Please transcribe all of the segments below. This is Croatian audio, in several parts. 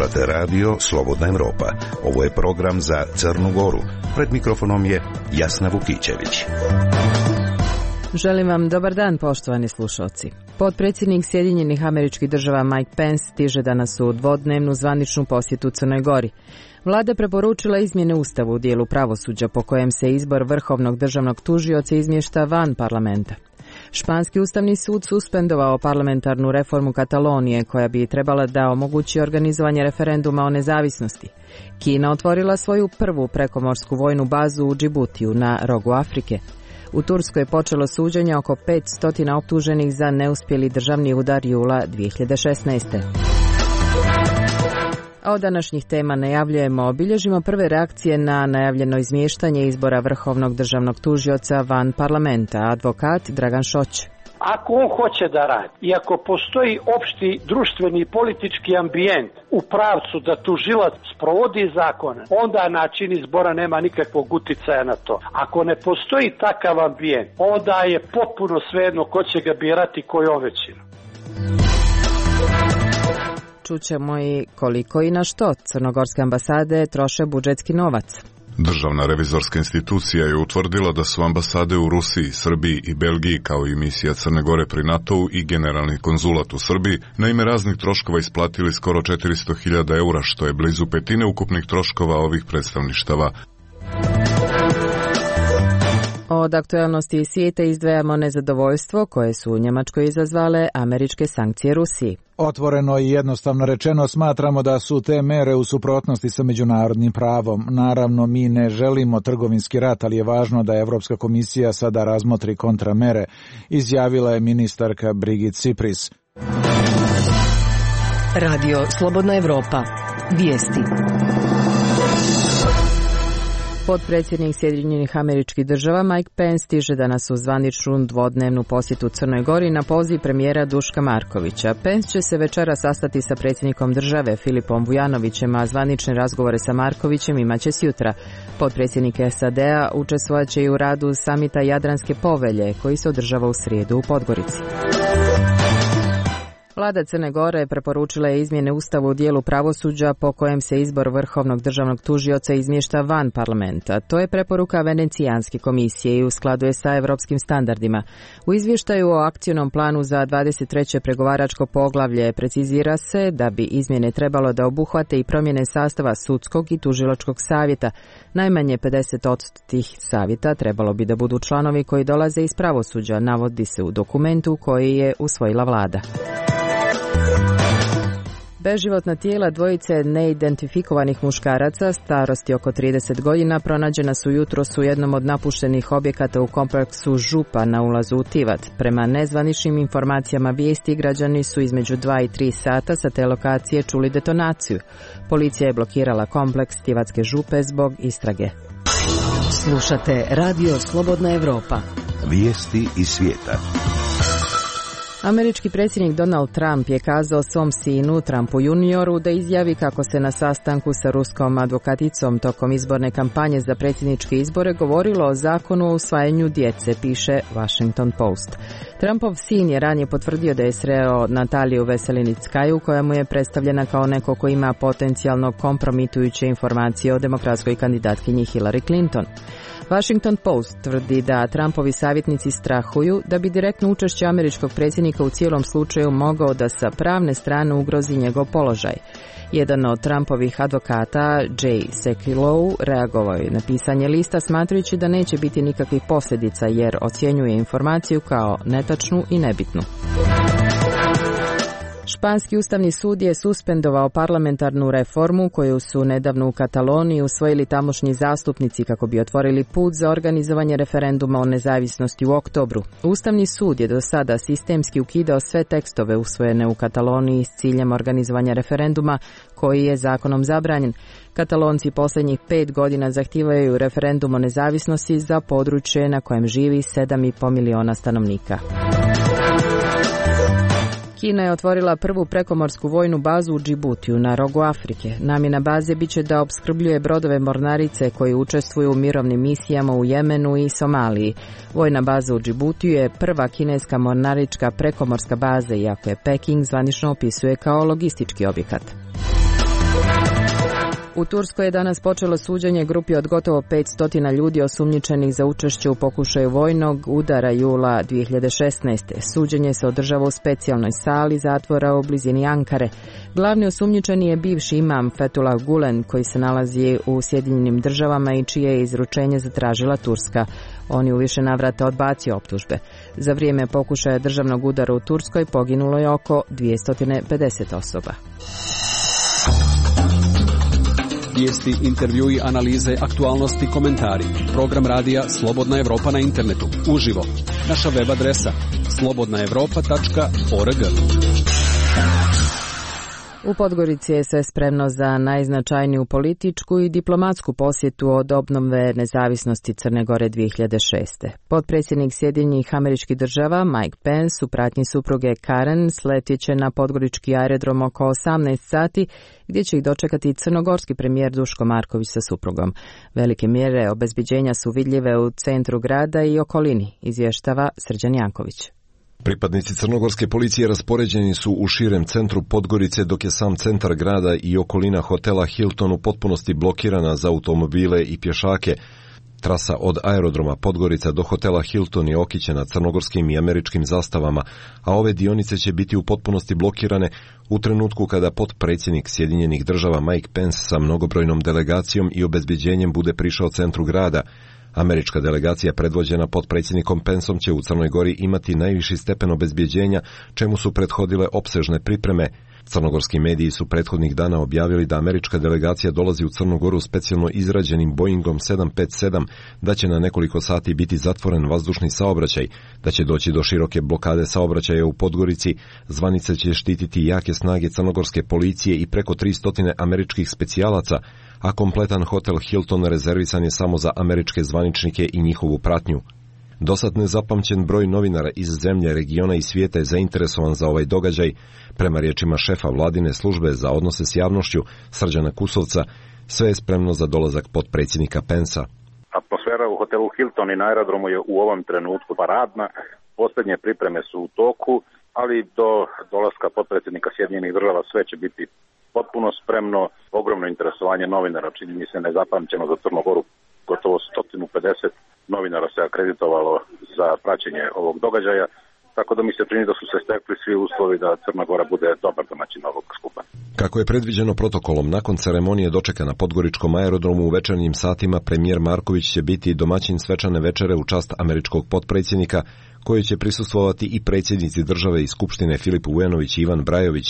Slušate radio Slobodna Evropa. Ovo je program za Crnu Goru. Pred mikrofonom je Jasna Vukićević. Želim vam dobar dan, poštovani slušalci. Potpredsjednik Sjedinjenih Američkih Država Mike Pence stiže danas u dvodnevnu zvaničnu posjetu Crnoj Gori. Vlada preporučila izmjene Ustava u dijelu pravosuđa po kojem se izbor vrhovnog državnog tužioca izmješta van parlamenta. Španski ustavni sud suspendovao parlamentarnu reformu Katalonije koja bi trebala da omogući organizovanje referenduma o nezavisnosti. Kina otvorila svoju prvu prekomorsku vojnu bazu u Džibutiju na rogu Afrike. U Turskoj je počelo suđenje oko 500 optuženih za neuspjeli državni udar jula 2016. A od današnjih tema najavljujemo, obilježimo prve reakcije na najavljeno izmještanje izbora vrhovnog državnog tužioca van parlamenta, advokat Dragan Šoć. Ako on hoće da radi i ako postoji opšti društveni i politički ambijent u pravcu da tužilac sprovodi zakone, onda način izbora nema nikakvog uticaja na to. Ako ne postoji takav ambijent, onda je potpuno svejedno ko će ga birati kojom većinom. Čućemo i koliko i na što crnogorske ambasade troše budžetski novac. Državna revizorska institucija je utvrdila da su ambasade u Rusiji, Srbiji i Belgiji, kao i misija Crne Gore pri NATO-u i generalni konzulat u Srbiji, na ime raznih troškova isplatili skoro 400.000 eura, što je blizu petine ukupnih troškova ovih predstavništava. Od aktualnosti iz svijeta izdvajamo nezadovoljstvo koje su u Njemačkoj izazvale američke sankcije Rusiji. Otvoreno i jednostavno rečeno smatramo da su te mere u suprotnosti sa međunarodnim pravom. Naravno, mi ne želimo trgovinski rat, ali je važno da Evropska komisija sada razmotri kontramere, izjavila je ministarka Birgit Cypris. Radio Slobodna Evropa. Vijesti. Potpredsjednik Sjedinjenih Američkih Država Mike Pence stiže danas u zvaničnu dvodnevnu posjetu Crnoj Gori na poziv premijera Duška Markovića. Pence će se večera sastati sa predsjednikom države Filipom Vujanovićem, a zvanične razgovore sa Markovićem imaće sjutra. Potpredsjednik SAD-a učestvovat će i u radu samita Jadranske povelje koji se održava u srijedu u Podgorici. Vlada Crne Gore preporučila je izmjene Ustava u dijelu pravosuđa po kojem se izbor vrhovnog državnog tužioca izmješta van parlamenta. To je preporuka Venecijanske komisije i u skladu je sa europskim standardima. U izvještaju o akcionom planu za 23. pregovaračko poglavlje precizira se da bi izmjene trebalo da obuhvate i promjene sastava sudskog i tužilačkog savjeta. Najmanje 50% od tih savjeta trebalo bi da budu članovi koji dolaze iz pravosuđa, navodi se u dokumentu koji je usvojila vlada. Beživotna tijela dvojice neidentifikovanih muškaraca starosti oko 30 godina pronađena su jutros u jednom od napuštenih objekata u kompleksu Župa na ulazu u Tivat. Prema nezvaničnim informacijama vijesti, građani su između 2 i 3 sata sa te lokacije čuli detonaciju. Policija je blokirala kompleks Tivatske Župe zbog istrage. Slušate Radio Slobodna Evropa. Vijesti iz svijeta. Američki predsjednik Donald Trump je kazao svom sinu, Trumpu junioru, da izjavi kako se na sastanku sa ruskom advokaticom tokom izborne kampanje za predsjedničke izbore govorilo o zakonu o usvajanju djece, piše Washington Post. Trumpov sin je ranije potvrdio da je sreo Nataliju Veselinickaju, koja mu je predstavljena kao neko ko ima potencijalno kompromitujuće informacije o demokratskoj kandidatkinji Hillary Clinton. Washington Post tvrdi da Trumpovi savjetnici strahuju da bi direktno učešće američkog predsjednika u cijelom slučaju mogao da sa pravne strane ugrozi njegov položaj. Jedan od Trumpovih advokata, Jay Sekulow, reagovao je na pisanje lista smatrajući da neće biti nikakvih posljedica jer ocjenjuje informaciju kao netačnu i nebitnu. Španski ustavni sud je suspendovao parlamentarnu reformu koju su nedavno u Kataloniji usvojili tamošnji zastupnici kako bi otvorili put za organizovanje referenduma o nezavisnosti u oktobru. Ustavni sud je do sada sistemski ukidao sve tekstove usvojene u Kataloniji s ciljem organizovanja referenduma koji je zakonom zabranjen. Katalonci posljednjih 5 godina zahtijevaju referendum o nezavisnosti za područje na kojem živi 7,5 miliona stanovnika. Kina je otvorila prvu prekomorsku vojnu bazu u Džibutiju na rogu Afrike. Namjena baze biće da opskrbljuje brodove mornarice koji učestvuju u mirovnim misijama u Jemenu i Somaliji. Vojna baza u Džibutiju je prva kineska mornarička prekomorska baza, iako je Peking zvanično opisuje kao logistički objekat. U Turskoj je danas počelo suđenje grupi od gotovo 500 ljudi osumnjičenih za učešće u pokušaju vojnog udara jula 2016. Suđenje se održava u specijalnoj sali zatvora u blizini Ankare. Glavni osumnjičeni je bivši imam Fethullah Gulen koji se nalazi u Sjedinjenim Državama i čije je izručenje zatražila Turska. On je u više navrata odbacio optužbe. Za vrijeme pokušaja državnog udara u Turskoj poginulo je oko 250 osoba. Vijesti, intervjui, analize, aktualnosti, komentari. Program radija Slobodna Evropa na internetu. Uživo. Naša web adresa slobodnaevropa.org. U Podgorici je sve spremno za najznačajniju političku i diplomatsku posjetu od obnove nezavisnosti Crne Gore 2006. Potpredsjednik Sjedinjenih Američkih Država Mike Pence u pratnji supruge Karen sletit će na podgorički aerodrom oko 18 sati gdje će ih dočekati crnogorski premijer Duško Marković sa suprugom. Velike mjere obezbeđenja su vidljive u centru grada i okolini, izvještava Srđan Janković. Pripadnici crnogorske policije raspoređeni su u širem centru Podgorice, dok je sam centar grada i okolina hotela Hilton u potpunosti blokirana za automobile i pješake. Trasa od aerodroma Podgorica do hotela Hilton je okićena crnogorskim i američkim zastavama, a ove dionice će biti u potpunosti blokirane u trenutku kada potpredsjednik Sjedinjenih Država Mike Pence sa mnogobrojnom delegacijom i obezbeđenjem bude prišao centru grada. Američka delegacija predvođena potpredsjednikom Penceom će u Crnoj Gori imati najviši stepen obezbeđenja, čemu su prethodile opsežne pripreme. Crnogorski mediji su prethodnih dana objavili da američka delegacija dolazi u Crnu Goru specijalno izrađenim Boeingom 757, da će na nekoliko sati biti zatvoren vazdušni saobraćaj, da će doći do široke blokade saobraćaja u Podgorici, zvanice će štititi jake snage crnogorske policije i preko 300 američkih specijalaca, a kompletan hotel Hilton rezervisan je samo za američke zvaničnike i njihovu pratnju. Dosad nezapamćen broj novinara iz zemlje, regiona i svijeta je zainteresovan za ovaj događaj. Prema riječima šefa vladine službe za odnose s javnošću, Srđana Kusovca, sve je spremno za dolazak potpredsjednika Pensa. Atmosfera u hotelu Hilton i na aerodromu je u ovom trenutku paradna. Posljednje pripreme su u toku, ali do dolaska potpredsjednika Sjedinjenih Država sve će biti potpuno spremno. Ogromno interesovanje novinara, čini mi se nezapamćeno za Crnu Goru. Gotovo 150 novinara se akreditovalo za praćenje ovog događaja, tako da mi se čini da su se stekli svi uslovi da Crna Gora bude dobar domaćin ovog skupa. Kako je predviđeno protokolom, nakon ceremonije dočeka na podgoričkom aerodromu u večernjim satima, premijer Marković će biti domaćin svečane večere u čast američkog potpredsjednika, koji će prisustvovati i predsjednici države i skupštine Filip Vujanović i Ivan Brajović.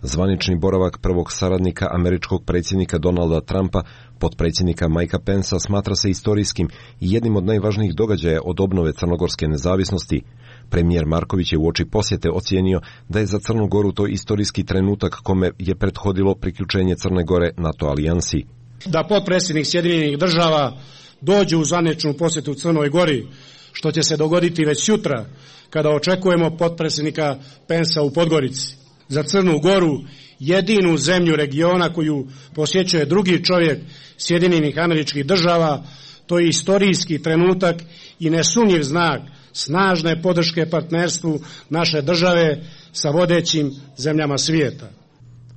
Zvanični boravak prvog saradnika američkog predsjednika Donalda Trumpa, potpredsjednika Mikea Pensa, smatra se istorijskim i jednim od najvažnijih događaja od obnove crnogorske nezavisnosti. Premijer Marković je uoči posjete ocijenio da je za Crnu Goru to istorijski trenutak kome je prethodilo priključenje Crne Gore NATO alijansi. Da potpredsjednik Sjedinjenih Država dođe u zvaničnu posjetu u Crnoj Gori, što će se dogoditi već sutra, kada očekujemo potpredsjednika Pensa u Podgorici. Za Crnu Goru, jedinu zemlju regiona koju posjećuje drugi čovjek Sjedinjenih Američkih Država, to je istorijski trenutak i nesumnjiv znak snažne podrške partnerstvu naše države sa vodećim zemljama svijeta.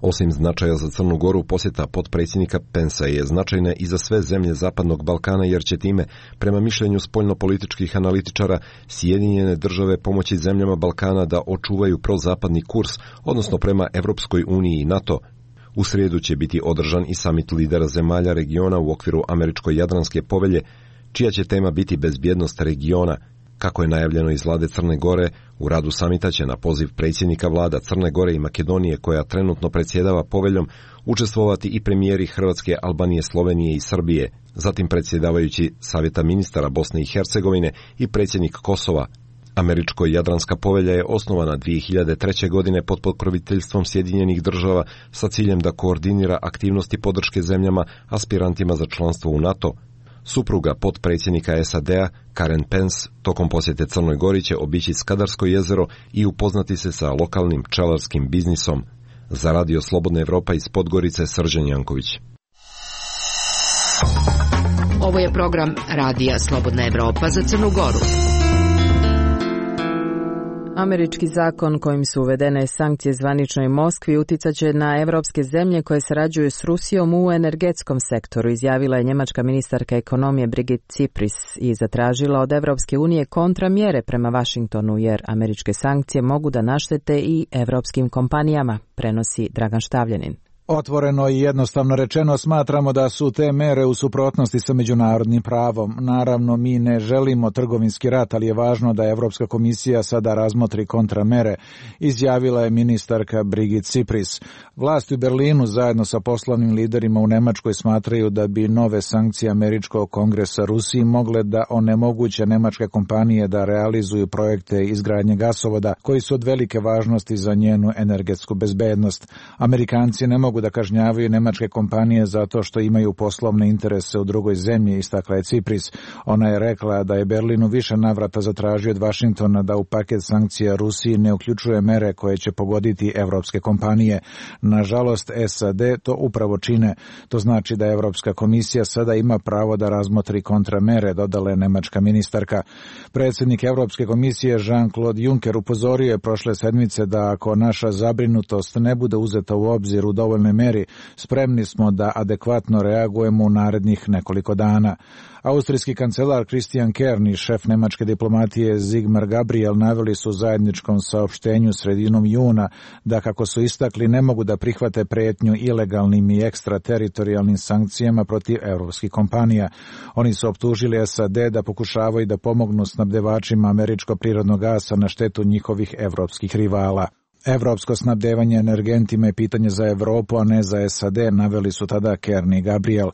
Osim značaja za Crnu Goru, posjeta potpredsjednika Pensa je značajna i za sve zemlje Zapadnog Balkana, jer će time, prema mišljenju spoljnopolitičkih analitičara, Sjedinjene Države pomoći zemljama Balkana da očuvaju prozapadni kurs, odnosno prema Evropskoj uniji i NATO. U srijedu će biti održan i samit lidera zemalja regiona u okviru Američko-Jadranske povelje, čija će tema biti bezbjednost regiona. Kako je najavljeno iz vlade Crne Gore, u radu samita će na poziv predsjednika vlada Crne Gore i Makedonije, koja trenutno predsjedava poveljom, učestvovati i premijeri Hrvatske, Albanije, Slovenije i Srbije, zatim predsjedavajući Savjeta ministara Bosne i Hercegovine i predsjednik Kosova. Američko-Jadranska povelja je osnovana 2003. godine pod pokroviteljstvom Sjedinjenih Država sa ciljem da koordinira aktivnosti podrške zemljama aspirantima za članstvo u NATO. Supruga potpredsjednika SAD-a, Karen Pence, tokom posjete Crnoj Gori će obići Skadarsko jezero i upoznati se sa lokalnim pčelarskim biznisom. Za Radio Slobodna Evropa iz Podgorice, Srđan Janković. Ovo je program Radija Slobodna Evropa za Crnu Goru. Američki zakon kojim su uvedene sankcije zvaničnoj Moskvi uticat će na evropske zemlje koje sarađuju s Rusijom u energetskom sektoru, izjavila je njemačka ministarka ekonomije Brigitte Cipris i zatražila od Evropske unije kontramjere prema Vašingtonu jer američke sankcije mogu da naštete i evropskim kompanijama, prenosi Dragan Štavljanin. Otvoreno i jednostavno rečeno smatramo da su te mere u suprotnosti sa međunarodnim pravom. Naravno, mi ne želimo trgovinski rat, ali je važno da Evropska komisija sada razmotri kontramere, izjavila je ministarka Brigitte Cipris. Vlasti u Berlinu zajedno sa poslovnim liderima u Nemačkoj smatraju da bi nove sankcije američkog kongresa Rusiji mogle da onemoguće nemačke kompanije da realizuju projekte izgradnje gasovoda koji su od velike važnosti za njenu energetsku bezbednost. Amerikanci ne mogu da kažnjavaju nemačke kompanije zato što imaju poslovne interese u drugoj zemlji, istakla je Cipris. Ona je rekla da je Berlin u više navrata zatražio od Vašingtona da u paket sankcija Rusiji ne uključuje mere koje će pogoditi evropske kompanije. Nažalost, SAD to upravo čine. To znači da Evropska komisija sada ima pravo da razmotri kontramere, dodala je nemačka ministarka. Predsjednik Evropske komisije Jean-Claude Juncker upozorio je prošle sedmice da ako naša zabrinutost ne bude uzeta u obzir u dovoljnoj meri, spremni smo da adekvatno reagujemo u narednih nekoliko dana. Austrijski kancelar Christian Kern i šef nemačke diplomatije Sigmar Gabriel naveli su u zajedničkom saopštenju sredinom juna da, kako su istakli, ne mogu da prihvate pretnju ilegalnim i ekstrateritorijalnim sankcijama protiv evropskih kompanija. Oni su optužili SAD da pokušavaju da pomognu snabdevačima američkog prirodnog gasa na štetu njihovih evropskih rivala. Evropsko snabdevanje energentima je pitanje za Evropu, a ne za SAD, naveli su tada Kern i Gabriel.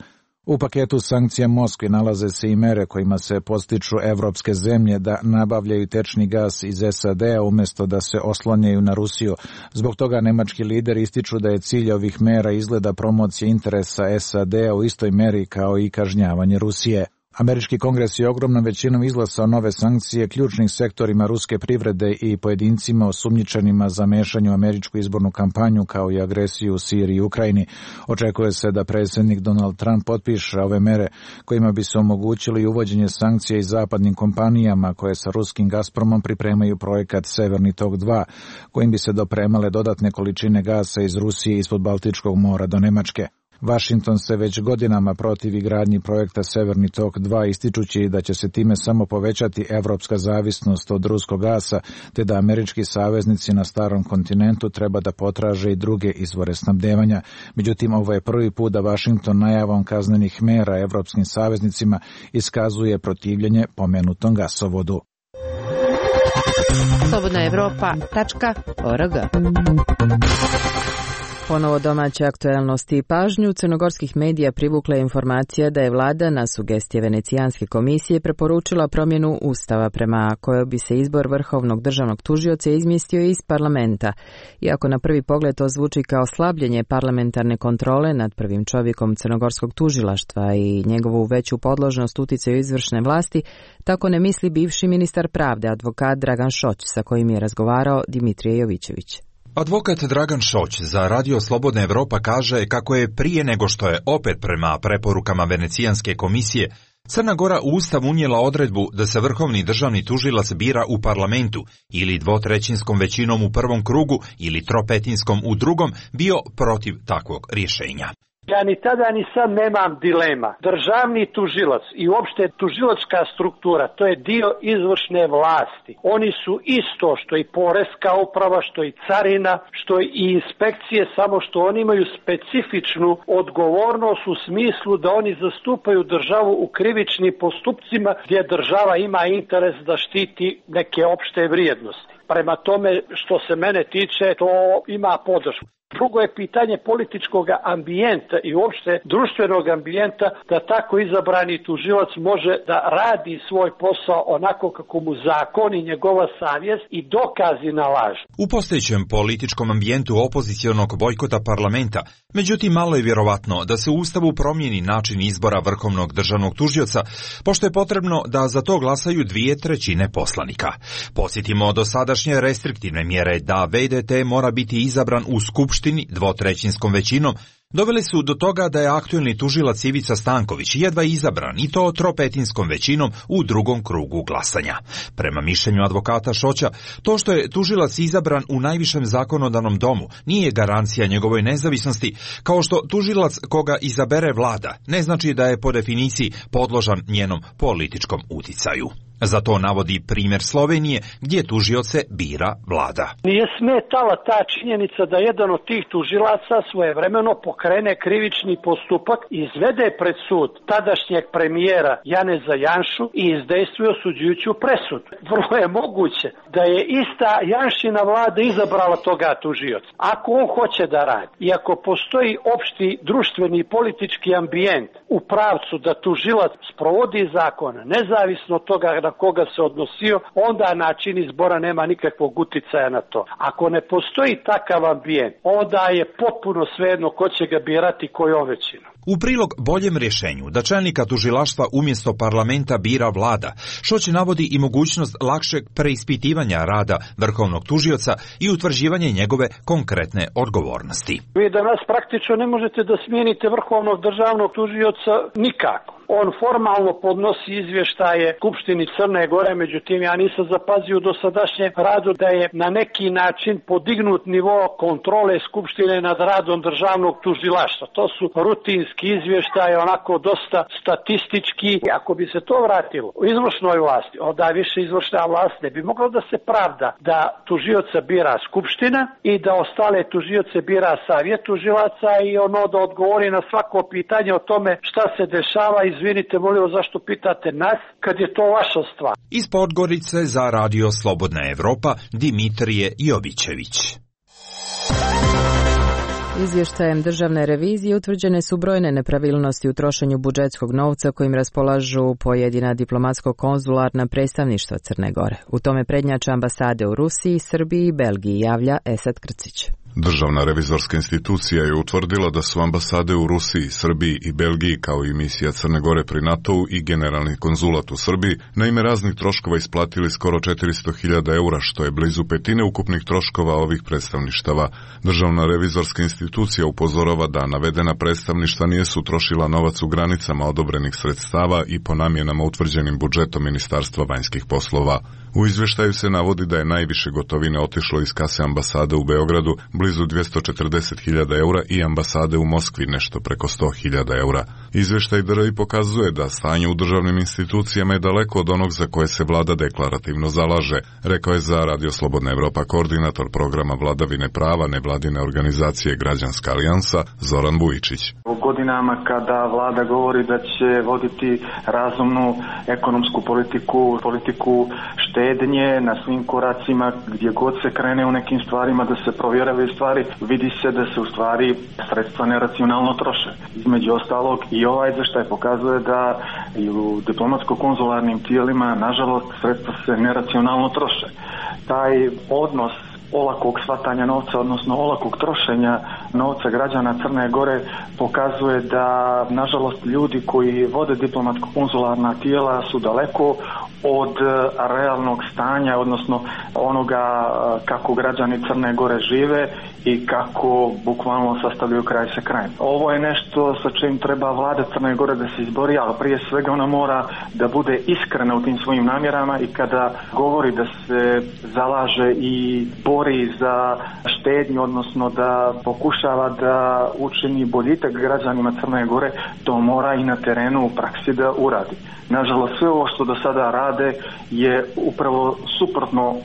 U paketu sankcija Moskvi nalaze se i mere kojima se podstiču evropske zemlje da nabavljaju tečni gas iz SAD-a umjesto da se oslanjaju na Rusiju. Zbog toga nemački lideri ističu da je cilj ovih mera izgleda promocija interesa SAD-a u istoj meri kao i kažnjavanje Rusije. Američki kongres je ogromnom većinom izglasao nove sankcije ključnim sektorima ruske privrede i pojedincima osumnjičenima za mešanje u američku izbornu kampanju kao i agresiju u Siriji i Ukrajini. Očekuje se da predsjednik Donald Trump potpiše ove mere kojima bi se omogućili uvođenje sankcija i zapadnim kompanijama koje sa ruskim Gazpromom pripremaju projekat Severni tok 2, kojim bi se dopremale dodatne količine gasa iz Rusije ispod Baltičkog mora do Nemačke. Washington se već godinama protivi gradnji projekta Severni tok 2, ističući da će se time samo povećati evropska zavisnost od ruskog gasa, te da američki saveznici na starom kontinentu treba da potraže i druge izvore snabdevanja. Međutim, ovo je prvi put da Washington najavom kaznenih mera evropskim saveznicima iskazuje protivljenje pomenutom gasovodu. slobodnaevropa.org. Ponovo domaće aktuelnosti i pažnju crnogorskih medija privukla je informacija da je vlada na sugestije Venecijanske komisije preporučila promjenu ustava prema kojoj bi se izbor vrhovnog državnog tužioca izmjestio iz parlamenta. Iako na prvi pogled to zvuči kao slabljenje parlamentarne kontrole nad prvim čovjekom crnogorskog tužilaštva i njegovu veću podložnost uticaju izvršne vlasti, tako ne misli bivši ministar pravde, advokat Dragan Šoć, sa kojim je razgovarao Dimitrije Jovićević. Advokat Dragan Šoć za Radio Slobodna Evropa kaže kako je prije nego što je opet prema preporukama Venecijanske komisije Crna Gora u Ustav unijela odredbu da se vrhovni državni tužilac bira u parlamentu ili dvotrećinskom većinom u prvom krugu ili tropetinskom u drugom, bio protiv takvog rješenja. Ja ni tada ni sad nemam dilema. Državni tužilac i uopšte tužilačka struktura, to je dio izvršne vlasti. Oni su isto što i poreska uprava, što i carina, što i inspekcije, samo što oni imaju specifičnu odgovornost u smislu da oni zastupaju državu u krivičnim postupcima gdje država ima interes da štiti neke opšte vrijednosti. Prema tome, što se mene tiče, to ima podršku. Drugo je pitanje političkog ambijenta i uopšte društvenog ambijenta da tako izabrani tužilac može da radi svoj posao onako kako mu zakon i njegova savjest i dokazi nalažu. U postojećem političkom ambijentu opozicionog bojkota parlamenta, međutim malo je vjerovatno da se u Ustavu promijeni način izbora vrhovnog državnog tužioca, pošto je potrebno da za to glasaju 2/3 poslanika. Podsjetimo dosadašnje restriktivne mjere da VDT mora biti izabran u skupštini dvotrećinskom većinom, doveli su do toga da je aktuelni tužilac Ivica Stanković jedva izabran i to tropetinskom većinom u drugom krugu glasanja. Prema mišljenju advokata Šoća, to što je tužilac izabran u najvišem zakonodavnom domu nije garancija njegovoj nezavisnosti, kao što tužilac koga izabere vlada ne znači da je po definiciji podložan njenom političkom uticaju. Za to navodi primjer Slovenije, gdje tužioce bira vlada. Nije smetala ta činjenica da jedan od tih tužilaca svojevremeno pokrene krivični postupak i izvede pred sud tadašnjeg premijera Janeza Janšu i izdejstvuje osuđujuću presudu. Vrlo je moguće da je ista Janšina vlada izabrala toga tužioca. Ako on hoće da radi i ako postoji opšti društveni i politički ambijent u pravcu da tužilac sprovodi zakone, nezavisno od toga na koga se odnosio, onda način izbora nema nikakvog uticaja na to. Ako ne postoji takav ambijent, onda je potpuno svejedno ko će ga birati kojom većinom. U prilog boljem rješenju da čelnika tužilaštva umjesto parlamenta bira vlada, Šoć navodi i mogućnost lakšeg preispitivanja rada vrhovnog tužioca i utvrđivanje njegove konkretne odgovornosti. Vi danas praktično ne možete da smijenite vrhovnog državnog tužioca nikako. On formalno podnosi izvještaje Skupštini Crne Gore, međutim ja nisam zapazio u dosadašnjem radu da je na neki način podignut nivo kontrole Skupštine nad radom državnog tužilaštva. To su rutinski izvještaje, onako dosta statistički. Ako bi se to vratilo u izvršnoj vlasti, onda više izvršna vlast ne bi mogla da se pravda da tužioca bira Skupština i da ostale tužioce bira Savjet tužilaca i ono da odgovori na svako pitanje o tome šta se dešava. Izvinite, molim vas, zašto pitate nas, kad je to vaša stvar. Iz Podgorice za Radio Slobodna Evropa, Dimitrije Jovićević. Izvještajem državne revizije utvrđene su brojne nepravilnosti u trošenju budžetskog novca kojim raspolažu pojedina diplomatsko-konzularna predstavništva Crne Gore. U tome prednjače ambasade u Rusiji, Srbiji i Belgiji, javlja Esad Krcić. Državna revizorska institucija je utvrdila da su ambasade u Rusiji, Srbiji i Belgiji kao i misija Crne Gore pri NATO-u i generalni konzulat u Srbiji na ime raznih troškova isplatili skoro 400.000 eura, što je blizu petine ukupnih troškova ovih predstavništava. Državna revizorska institucija upozorava da navedena predstavništva nisu trošila novac u granicama odobrenih sredstava i po namjenama utvrđenim budžetom Ministarstva vanjskih poslova. U izvještaju se navodi da je najviše gotovine otišlo iz kase ambasade u Beogradu, blizu 240.000 eura, i ambasade u Moskvi nešto preko 100.000 eura. Izvještaj DRI pokazuje da stanje u državnim institucijama je daleko od onog za koje se vlada deklarativno zalaže, rekao je za Radio Slobodna Evropa koordinator programa vladavine prava nevladine organizacije Građanska alijansa Zoran Vujičić. U godinama kada vlada govori da će voditi razumnu ekonomsku politiku štednje na svim koracima, gdje god se krene u nekim stvarima da se provjeravaju stvari, vidi se da se u stvari sredstva neracionalno troše. Između ostalog i ovaj izvještaj pokazuje da i u diplomatsko-konzularnim tijelima nažalost sredstva se neracionalno troše. Taj odnos olakog shvatanja novca, odnosno olakog trošenja novca građana Crne Gore pokazuje da nažalost ljudi koji vode diplomatsko-konzularna tijela su daleko od realnog stanja, odnosno onoga kako građani Crne Gore žive i kako bukvalno sastavljaju kraj sa krajem. Ovo je nešto sa čim treba vlada Crne Gore da se izbori, ali prije svega ona mora da bude iskrena u tim svojim namjerama i kada govori da se zalaže i bori za štednju, odnosno da pokušava da učini boljitak građanima Crne Gore, to mora i na terenu u praksi da uradi. Nažalost, sve ovo što do sada rade je upravo suprotno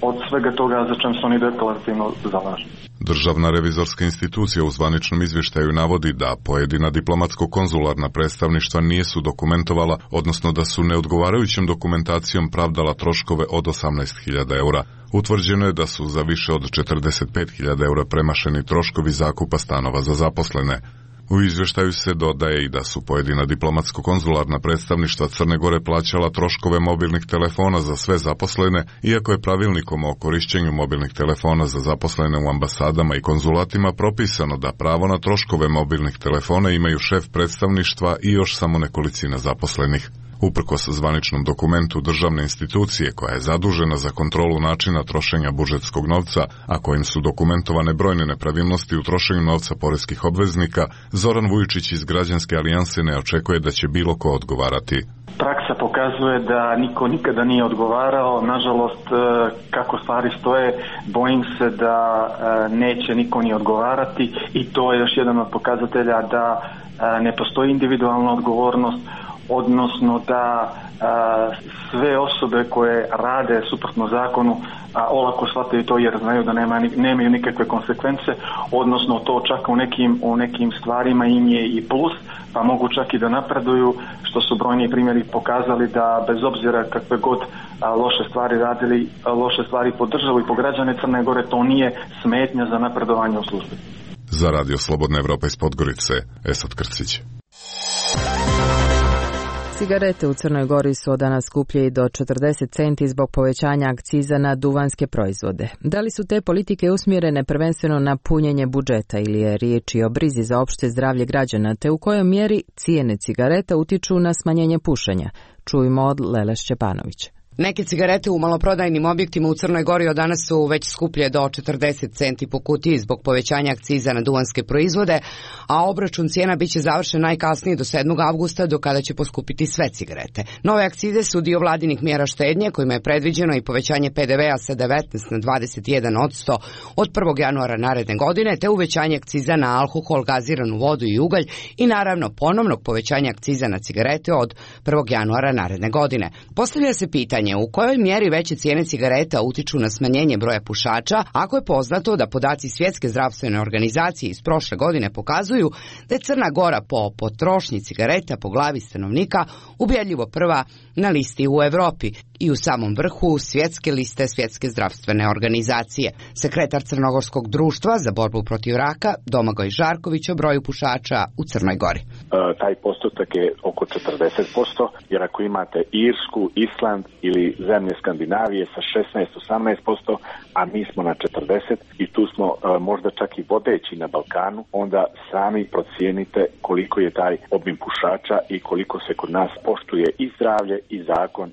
od svega toga za čem se oni deklarativno zalažu. Državna revizorska institucija u zvaničnom izvještaju navodi da pojedina diplomatsko-konzularna predstavništva nisu dokumentovala, odnosno da su neodgovarajućom dokumentacijom pravdala troškove od 18.000 eura. Utvrđeno je da su za više od 45.000 eura premašeni troškovi zakupa stanova za zaposlene. U izvještaju se dodaje i da su pojedina diplomatsko-konzularna predstavništva Crne Gore plaćala troškove mobilnih telefona za sve zaposlene, iako je pravilnikom o korišćenju mobilnih telefona za zaposlene u ambasadama i konzulatima propisano da pravo na troškove mobilnih telefona imaju šef predstavništva i još samo nekolicina zaposlenih. Uprkos zvaničnom dokumentu državne institucije koja je zadužena za kontrolu načina trošenja budžetskog novca, a kojim su dokumentovane brojne nepravilnosti u trošenju novca poreskih obveznika, Zoran Vujičić iz Građanske alijanse ne očekuje da će bilo ko odgovarati. Praksa pokazuje da niko nikada nije odgovarao. Nažalost, kako stvari stoje, bojim se da neće niko ni odgovarati i to je još jedan od pokazatelja da ne postoji individualna odgovornost, odnosno da sve osobe koje rade suprotno zakonu olako shvataju to jer znaju da nemaju nikakve konsekvence, odnosno to čak u nekim stvarima im je i plus, pa mogu čak i da napreduju, što su brojni primjeri pokazali da bez obzira kakve god loše stvari radili, loše stvari po državu i po građane Crne Gore, to nije smetnja za napredovanje u službi. Za Radio Slobodna Evropa iz Podgorice, Esad Krcić. Cigarete u Crnoj Gori su od danas skuplje i do 40 centi zbog povećanja akciza na duvanske proizvode. Da li su te politike usmjerene prvenstveno na punjenje budžeta ili je riječ i o brizi za opšte zdravlje građana, te u kojoj mjeri cijene cigareta utiču na smanjenje pušenja? Čujmo od Lele Šćepanovića. Neke cigarete u maloprodajnim objektima u Crnoj Gori od danas su već skuplje do 40 centi po kutiji zbog povećanja akciza na duvanske proizvode, a obračun cijena biće završen najkasnije do 7. avgusta, do kada će poskupiti sve cigarete. Nove akcize su dio vladinih mjera štednje, kojima je predviđeno i povećanje PDV-a sa 19 na 21% od 1. januara naredne godine, te uvećanje akciza na alkohol, gaziranu vodu i ugalj i naravno ponovnog povećanja akciza na cigarete od 1. januara naredne godine. Postavlja se pitanje u kojoj mjeri veće cijene cigareta utiču na smanjenje broja pušača, ako je poznato da podaci Svjetske zdravstvene organizacije iz prošle godine pokazuju da je Crna Gora po potrošnji cigareta po glavi stanovnika ubjedljivo prva na listi u Europi i u samom vrhu svjetske liste Svjetske zdravstvene organizacije. Sekretar Crnogorskog društva za borbu protiv raka Domagoj Žarković o broju pušača u Crnoj Gori. Taj postotak je oko 40%, jer ako imate Irsku, Island ili zemlje Skandinavije sa 16-18%, a mi smo na 40% i tu smo možda čak i vodeći na Balkanu, onda sami procijenite koliko je taj obim pušača i koliko se kod nas poštuje i zdravlje i zakon.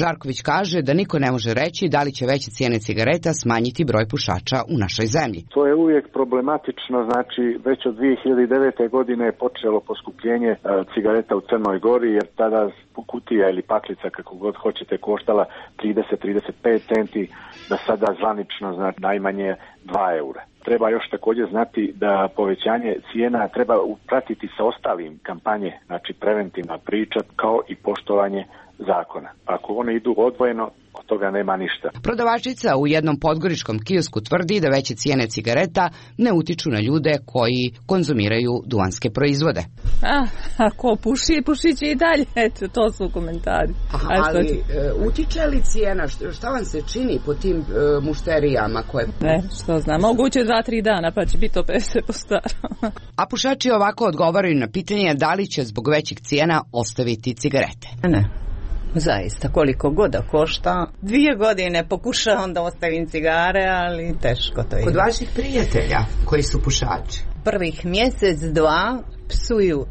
Žarković kaže da niko ne može reći da li će veće cijene cigareta smanjiti broj pušača u našoj zemlji. To je uvijek problematično, znači već od 2009. godine je počelo poskupljenje cigareta u Crnoj Gori, jer tada kutija ili paklica, kako god hoćete, koštala 30-35 centi, da sada zvanično znači najmanje 2 eura. Treba još također znati da povećanje cijena treba pratiti sa ostalim kampanje, znači preventivna priča kao i poštovanje zakona. Ako one idu odvojeno, od toga nema ništa. Prodavačica u jednom podgoričkom kiosku tvrdi da veće cijene cigareta ne utiču na ljude koji konzumiraju duvanske proizvode. Ako puši će i dalje. Eto, to su komentari. Ali utiče li cijena? Šta vam se čini po tim mušterijama koje... Ne, što znam. Moguće 2-3 dana pa će biti opet sve po starom. A pušači ovako odgovaraju na pitanje da li će zbog većih cijena ostaviti cigarete. Ne. Zaista, koliko god da košta. 2 godine pokušavam da ostavim cigare, ali teško to je. Kod vaših prijatelja koji su pušači? Prvih mjesec, 2 psuju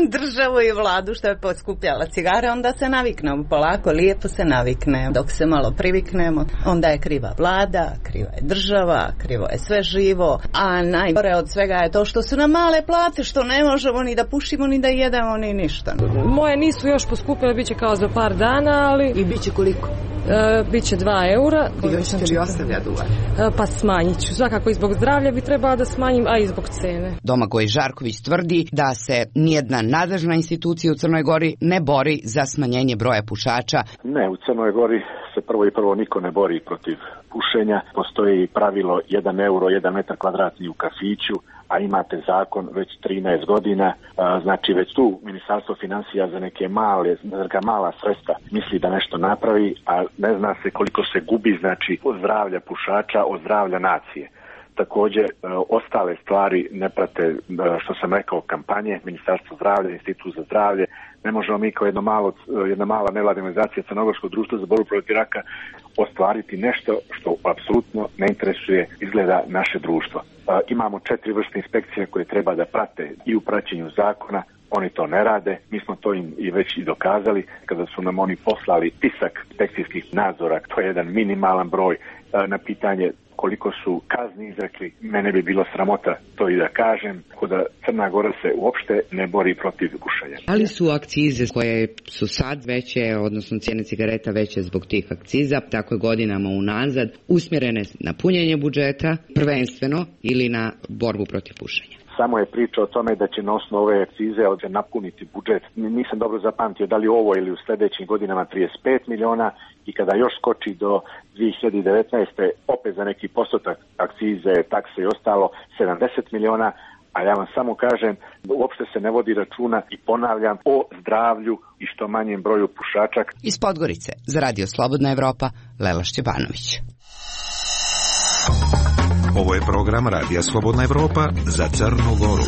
državu i vladu što je poskupljala cigare, onda se naviknemo polako, lijepo se naviknemo. Dok se malo priviknemo, onda je kriva vlada, kriva je država, krivo je sve živo, a najgore od svega je to što su nam male plate, što ne možemo ni da pušimo, ni da jedemo, ni ništa. Moje nisu još poskupile, bit će kao za par dana, ali... I bit će koliko? Biće 2 eura. I hoćete li ostavljati duvan? Pa smanjit ću. Svakako i zbog zdravlja bi trebala da smanjim, a i zbog cene. Domagoj Žarković tvrdi da se nijedna nadležna institucija u Crnoj Gori ne bori za smanjenje broja pušača. Ne, u Crnoj Gori se prvo niko ne bori protiv pušenja. Postoji pravilo 1 euro, 1 metar kvadratni u kafiću, a imate zakon već 13 godina, znači već tu Ministarstvo financija za neka mala sredstva misli da nešto napravi, a ne zna se koliko se gubi, znači od zdravlja pušača, od zdravlja nacije. Također, ostale stvari ne prate, što sam rekao, kampanje, Ministarstvo zdravlja, Institut za zdravlje. Ne možemo mi kao jedna mala nevladina organizacija Crnogorskog društva za borbu protiv raka ostvariti nešto što apsolutno ne interesuje izgleda naše društvo. Imamo 4 vrste inspekcija koje treba da prate i u praćenju zakona, oni to ne rade. Mi smo to im i već i dokazali kada su nam oni poslali spisak inspekcijskih nadzora, to je jedan minimalan broj. Na pitanje koliko su kazni izrekli, mene bi bilo sramota to i da kažem, da Crna Gora se uopšte ne bori protiv pušenja. Ali su akcize koje su sad veće, odnosno cijene cigareta veće zbog tih akciza, tako je godinama unazad, usmjerene na punjenje budžeta prvenstveno ili na borbu protiv pušenja? Samo je priča o tome da će na osnovu ove akcize napuniti budžet. Nisam dobro zapamtio da li ovo ili u sljedećim godinama 35 miliona i kada još skoči do 2019. opet za neki postotak akcize, takse i ostalo 70 miliona, a ja vam samo kažem da uopšte se ne vodi računa i ponavljam o zdravlju i što manjem broju pušača. Iz Podgorice za Radio Slobodna Evropa, Lela Šćepanović. Ovo je program Radija Slobodna Evropa za Crnu Goru.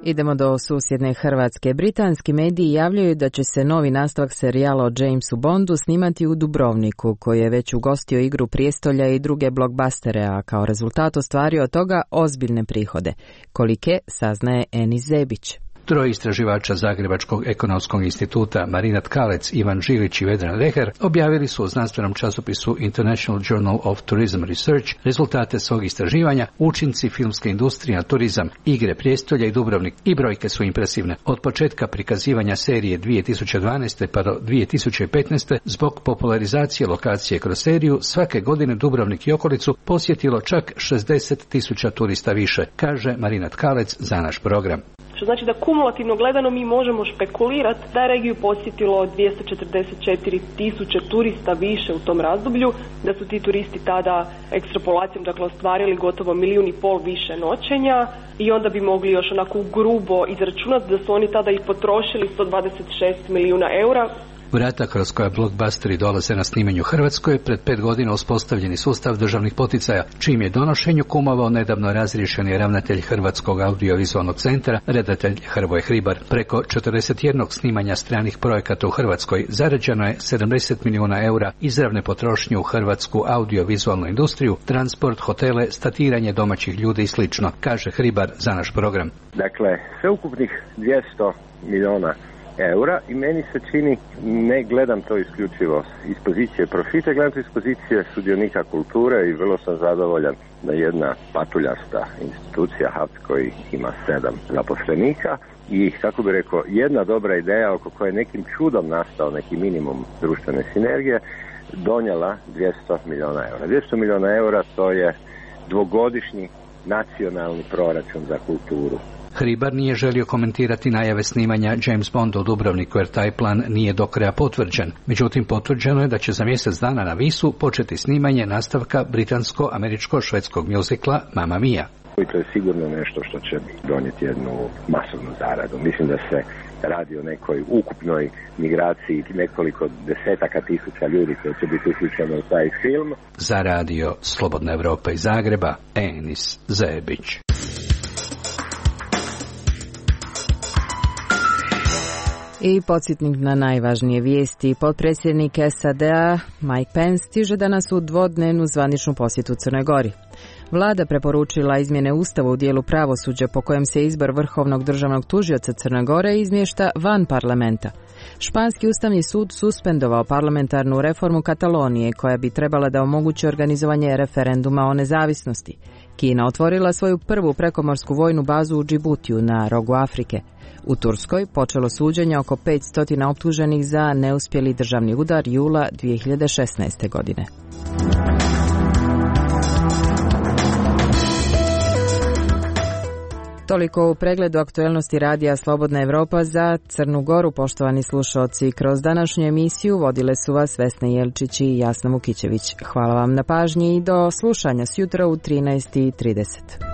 Idemo do susjedne Hrvatske. Britanski mediji javljaju da će se novi nastavak serijala o Jamesu Bondu snimati u Dubrovniku, koji je već ugostio Igru prijestolja i druge blockbustere, a kao rezultat ostvario od toga ozbiljne prihode. Kolike, saznaje Enis Zebić. Troje istraživača Zagrebačkog ekonomskog instituta Marina Tkalec, Ivan Žilić i Vedran Reher objavili su u znanstvenom časopisu International Journal of Tourism Research rezultate svog istraživanja, učinci filmske industrije na turizam, Igre prijestolja i Dubrovnik, i brojke su impresivne. Od početka prikazivanja serije 2012. pa do 2015. zbog popularizacije lokacije kroz seriju, svake godine Dubrovnik i okolicu posjetilo čak 60.000 turista više, kaže Marina Tkalec za naš program. Što znači da kumulativno gledano mi možemo špekulirati da je regiju posjetilo 244.000 turista više u tom razdoblju, da su ti turisti tada ekstrapolacijom ostvarili gotovo 1,5 milijuna više noćenja i onda bi mogli još onako grubo izračunati da su oni tada i potrošili 126 milijuna eura. Vrata kroz koja blockbusteri dolaze na snimanju Hrvatskoj pred 5 godina uspostavljeni sustav državnih poticaja, čim je donošenju kumovao nedavno razriješeni ravnatelj Hrvatskog audiovizualnog centra, redatelj Hrvoje Hribar. Preko 41 snimanja stranih projekata u Hrvatskoj zarađeno je 70 milijuna eura izravne potrošnje u hrvatsku audiovizualnu industriju, transport, hotele, statiranje domaćih ljudi i slično, kaže Hribar za naš program. Dakle, sveukupnih 200 milijuna eura i meni se čini, ne gledam to isključivo iz pozicije profita, gledam to iz pozicije sudionika kulture i vrlo sam zadovoljan da jedna patuljasta institucija HAVC koji ima 7 zaposlenika i, kako bi rekao, jedna dobra ideja oko koje nekim čudom nastao neki minimum društvene sinergije, donijela 200 milijuna eura. 200 milijuna eura to je dvogodišnji nacionalni proračun za kulturu. Hribar nije želio komentirati najave snimanja James Bonda u Dubrovniku jer taj plan nije do kraja potvrđen. Međutim, potvrđeno je da će za mjesec dana na Visu početi snimanje nastavka britansko-američko-švedskog mjuzikla Mamma Mia. I to je sigurno nešto što će donijeti jednu masovnu zaradu. Mislim da se radi o nekoj ukupnoj migraciji nekoliko desetaka tisuća ljudi koji će biti uključeni u taj film. Za Radio Slobodna Evropa iz Zagreba, Enis Zebić. I podsjetnik na najvažnije vijesti. Potpredsjednik SAD-a Mike Pence stiže danas u dvodnevnu zvaničnu posjetu Crnoj Gori. Vlada preporučila izmjene Ustava u dijelu pravosuđa po kojem se izbor vrhovnog državnog tužioca Crne Gore izmješta van parlamenta. Španski ustavni sud suspendovao parlamentarnu reformu Katalonije koja bi trebala da omogući organizovanje referenduma o nezavisnosti. Kina otvorila svoju prvu prekomorsku vojnu bazu u Džibutiju na rogu Afrike. U Turskoj počelo suđenje oko 500 optuženih za neuspjeli državni udar jula 2016. godine. Toliko u pregledu aktuelnosti Radija Slobodna Evropa za Crnu Goru. Poštovani slušalci, kroz današnju emisiju vodile su vas Vesna Jelčić i Jasna Vukićević. Hvala vam na pažnji i do slušanja sjutra u 13:30.